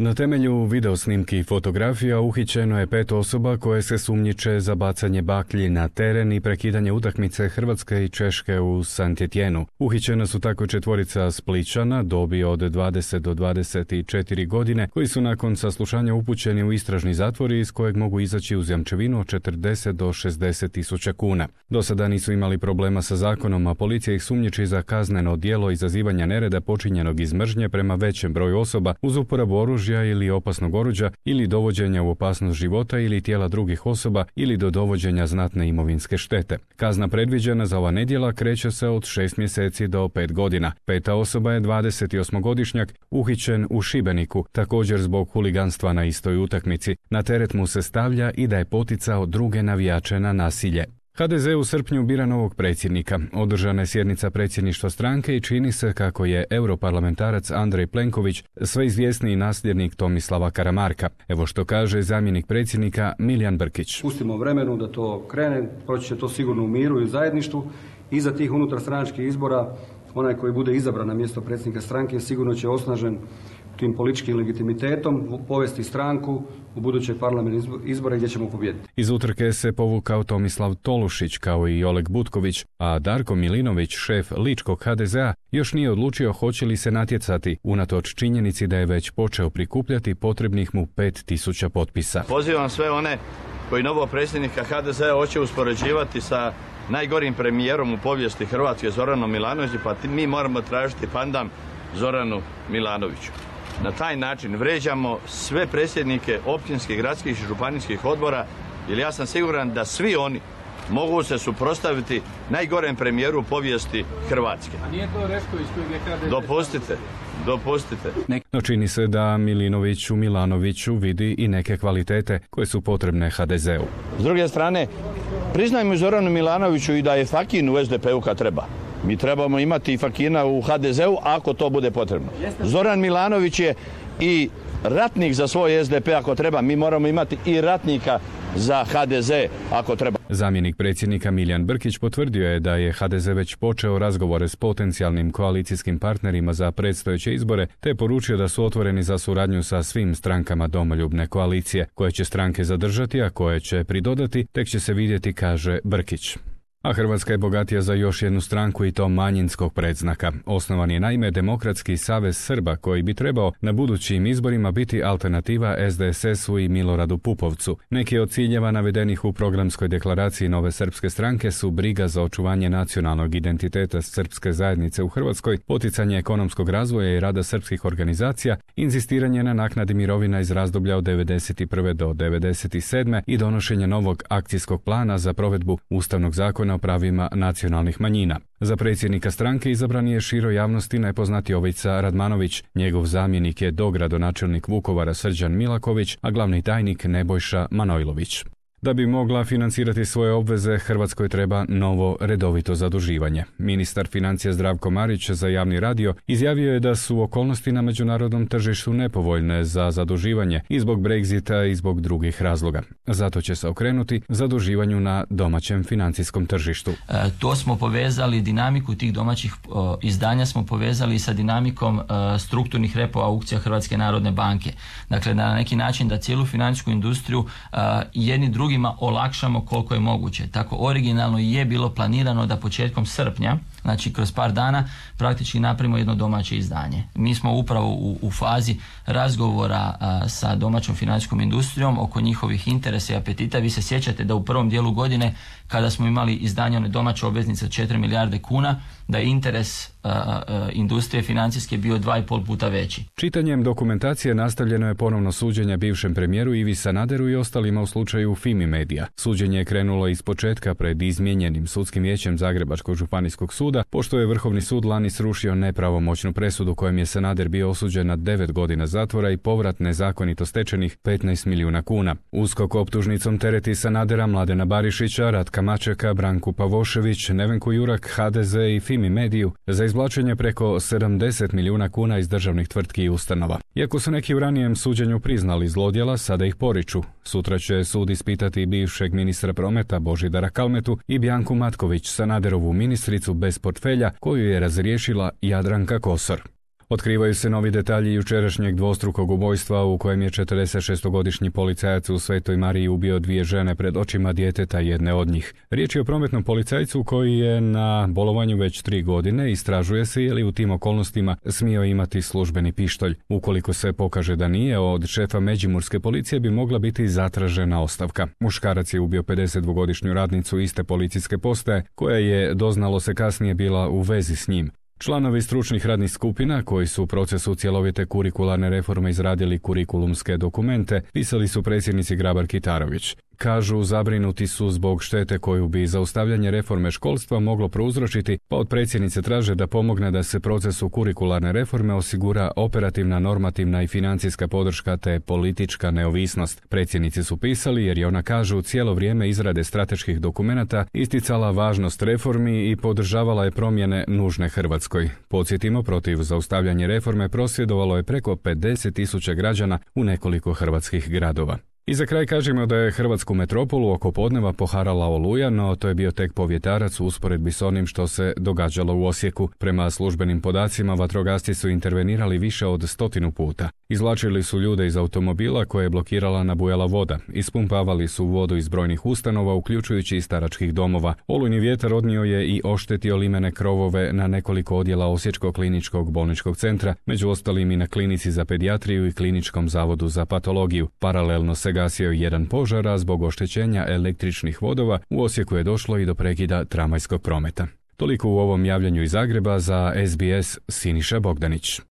Na temelju videosnimki i fotografija uhićeno je 5 osoba koje se sumnjiče za bacanje baklji na teren i prekidanje utakmice Hrvatske i Češke u Saint-Étienneu. Uhićena su tako 4 Splićana dobi od 20 do 24 godine koji su nakon saslušanja upućeni u istražni zatvor iz kojeg mogu izaći uz jamčevinu od 40 do 60 tisuća kuna. Do sada nisu imali problema sa zakonom, a policija ih sumnjiči za kazneno djelo izazivanja nereda počinjenog iz mržnje prema većem broju osoba uz uporabu oružja ili opasnog oruđa ili dovođenja u opasnost života ili tijela drugih osoba ili do dovođenja znatne imovinske štete. Kazna predviđena za ova nedjela kreće se od 6 mjeseci do 5 godina. 5. osoba je 28-godišnjak uhićen u Šibeniku, također zbog huliganstva na istoj utakmici. Na teret mu se stavlja i da je poticao druge navijače na nasilje. HDZ u srpnju bira novog predsjednika. Održana je sjednica predsjedništva stranke i čini se kako je europarlamentarac Andrej Plenković sve izvjesniji nasljednik Tomislava Karamarka. Evo što kaže zamjenik predsjednika Milijan Brkić. Pustimo vremenu da to krene, proći će to sigurno u miru i u zajedništvu. Iza tih unutarstranačkih izbora onaj koji bude izabran na mjesto predsjednika stranke sigurno će osnažen tim političkim legitimitetom povesti stranku u buduće parlamentarne izbore gdje ćemo pobijediti. Iz utrke se povukao Tomislav Tolušić kao i Oleg Butković, a Darko Milinović, šef ličkog HDZ-a, još nije odlučio hoće li se natjecati, unatoč činjenici da je već počeo prikupljati potrebnih mu 5000 potpisa. Pozivam sve one koji novog predsjednika HDZ-a hoće uspoređivati sa najgorim premijerom u povijesti Hrvatske Zoranom Milanovićem, pa mi moramo tražiti pandam Zoranu Milanoviću. Na taj način vređamo sve predsjednike općinskih, gradskih i županijskih odbora, jer ja sam siguran da svi oni mogu se suprotstaviti najgorem premijeru u povijesti Hrvatske. A nije to Rešković kojeg je HDZ? Dopustite. No čini se da Milinović u Milanoviću vidi i neke kvalitete koje su potrebne HDZ-u. S druge strane, priznajmo Zoranu Milanoviću i da je fakin u SDP-u kad treba. Mi trebamo imati i fakina u HDZ-u ako to bude potrebno. Zoran Milanović je i ratnik za svoj SDP ako treba. Mi moramo imati i ratnika za HDZ ako treba. Zamjenik predsjednika Milijan Brkić potvrdio je da je HDZ već počeo razgovore s potencijalnim koalicijskim partnerima za predstojeće izbore, te poručio da su otvoreni za suradnju sa svim strankama domoljubne koalicije. Koje će stranke zadržati, a koje će pridodati, tek će se vidjeti, kaže Brkić. A Hrvatska je bogatija za još jednu stranku i to manjinskog predznaka. Osnovan je naime Demokratski savez Srba koji bi trebao na budućim izborima biti alternativa SDSS-u i Miloradu Pupovcu. Neki od ciljeva navedenih u programskoj deklaraciji Nove srpske stranke su briga za očuvanje nacionalnog identiteta srpske zajednice u Hrvatskoj, poticanje ekonomskog razvoja i rada srpskih organizacija, inzistiranje na naknadi mirovina iz razdoblja od 1991. do 1997. i donošenje novog akcijskog plana za provedbu Ustavnog zakona o pravima nacionalnih manjina. Za predsjednika stranke izabran je široj javnosti najpoznatiji Jovica Radmanović. Njegov zamjenik je dogradonačelnik Vukovara Srđan Milaković, a glavni tajnik Nebojša Manojlović. Da bi mogla financirati svoje obveze, Hrvatskoj treba novo redovito zaduživanje. Ministar financija Zdravko Marić za javni radio izjavio je da su okolnosti na međunarodnom tržištu nepovoljne za zaduživanje i zbog Brexita i zbog drugih razloga. Zato će se okrenuti zaduživanju na domaćem financijskom tržištu. To smo povezali, dinamiku tih domaćih izdanja smo povezali sa dinamikom strukturnih repo aukcija Hrvatske narodne banke. Dakle, na neki način da cijelu financijsku industriju jedni drugima olakšamo koliko je moguće. Tako originalno je bilo planirano da početkom srpnja, znači kroz par dana, praktički napravimo jedno domaće izdanje. Mi smo upravo u fazi razgovora sa domaćom financijskom industrijom oko njihovih interesa i apetita. Vi se sjećate da u prvom dijelu godine kada smo imali izdanje one domaće obveznice od 4 milijarde kuna, da je interes industrije financijske bio 2,5 puta veći. Čitanjem dokumentacije nastavljeno je ponovno suđenje bivšem premijeru Ivi Sanaderu i ostalima u slučaju Fimi Media. Suđenje je krenulo iz početka pred izmijenjenim sudskim vijećem Zagrebačkog županijskog suda, pošto je Vrhovni sud lani srušio nepravomoćnu presudu kojom je Sanader bio osuđen na 9 godina zatvora i povrat nezakonito stečenih 15 milijuna kuna. USKOK optužnicom tereti Sanadera, Mladena Barišića, Ratka Mačeka, Branku Pavošević, Nevenku Jurak, HDZ i Fimi Mediju za izvlačenje preko 70 milijuna kuna iz državnih tvrtki i ustanova. Iako su neki u ranijem suđenju priznali zlodjela, sada ih poriču. Sutra će sud ispitati bivšeg ministra prometa Božidara Kalmetu i Bjanku Matković, Sanaderovu ministricu bez portfelja koju je razriješila Jadranka Kosor. Otkrivaju se novi detalji jučerašnjeg dvostrukog ubojstva u kojem je 46-godišnji policajac u Svetoj Mariji ubio 2 žene pred očima djeteta jedne od njih. Riječ je o prometnom policajcu koji je na bolovanju već 3 godine. Istražuje se je li u tim okolnostima smio imati službeni pištolj. Ukoliko se pokaže da nije, od šefa Međimurske policije bi mogla biti zatražena ostavka. Muškarac je ubio 52-godišnju radnicu iste policijske postaje koja je, doznalo se kasnije, bila u vezi s njim. Članovi stručnih radnih skupina koji su u procesu cjelovite kurikularne reforme izradili kurikulumske dokumente pisali su predsjednici Grabar-Kitarović. Kažu, zabrinuti su zbog štete koju bi zaustavljanje reforme školstva moglo prouzročiti, pa od predsjednice traže da pomogne da se procesu kurikularne reforme osigura operativna, normativna i financijska podrška te politička neovisnost. Predsjednici su pisali jer je ona, kažu, cijelo vrijeme izrade strateških dokumenata isticala važnost reformi i podržavala je promjene nužne Hrvatskoj. Podsjetimo, protiv zaustavljanja reforme prosvjedovalo je preko 50.000 građana u nekoliko hrvatskih gradova. I za kraj kažemo da je hrvatsku metropolu oko podneva poharala oluja, no to je bio tek povjetarac u usporedbi s onim što se događalo u Osijeku. Prema službenim podacima, vatrogasci su intervenirali više od 100 puta. Izvlačili su ljude iz automobila koje je blokirala nabujala voda. Ispumpavali su vodu iz brojnih ustanova, uključujući i staračkih domova. Olujni vjetar odnio je i oštetio limene krovove na nekoliko odjela Osječkog kliničkog bolničkog centra, među ostalim i na klinici za pedijatriju i kliničkom zavodu za patologiju. Paralelno se gasio jedan požar, a zbog oštećenja električnih vodova u Osijeku je došlo i do prekida tramvajskog prometa. Toliko u ovom javljanju iz Zagreba. Za SBS Siniša Bogdanić.